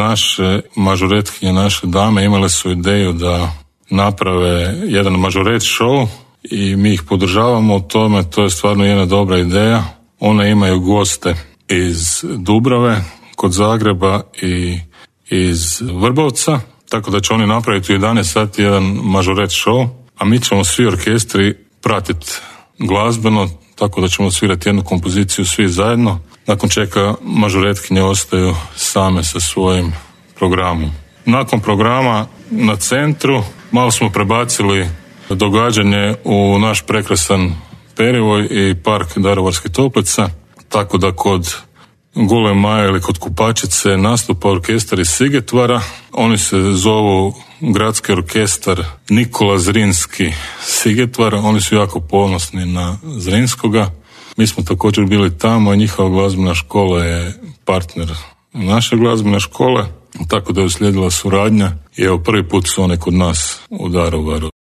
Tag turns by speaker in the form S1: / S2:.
S1: naše mažoretkinje, naše dame imale su ideju da naprave jedan mažoret show i mi ih podržavamo u tome, to je stvarno jedna dobra ideja. One imaju goste iz Dubrave, kod Zagreba i iz Vrbovca, tako da će oni napraviti u 11 sati jedan mažoret show, a mi ćemo svi orkestri pratiti glazbeno, tako da ćemo svirati jednu kompoziciju svi zajedno, nakon čega mažoretkinje ostaju same sa svojim programom. Nakon programa na centru malo smo prebacili događanje u naš prekrasan perivoj i park Daruvarskih toplica, tako da kod Gole Maje ili kod Kupačice nastupa orkestar iz Sigetvara. Oni se zovu Gradski orkestar Nikola Zrinski Sigetvar. Oni su jako ponosni na Zrinskoga. Mi smo također bili tamo i njihova glazbena škola je partner naše glazbene škole, tako da je uslijedila suradnja i evo prvi put su one kod nas u Daruvaru.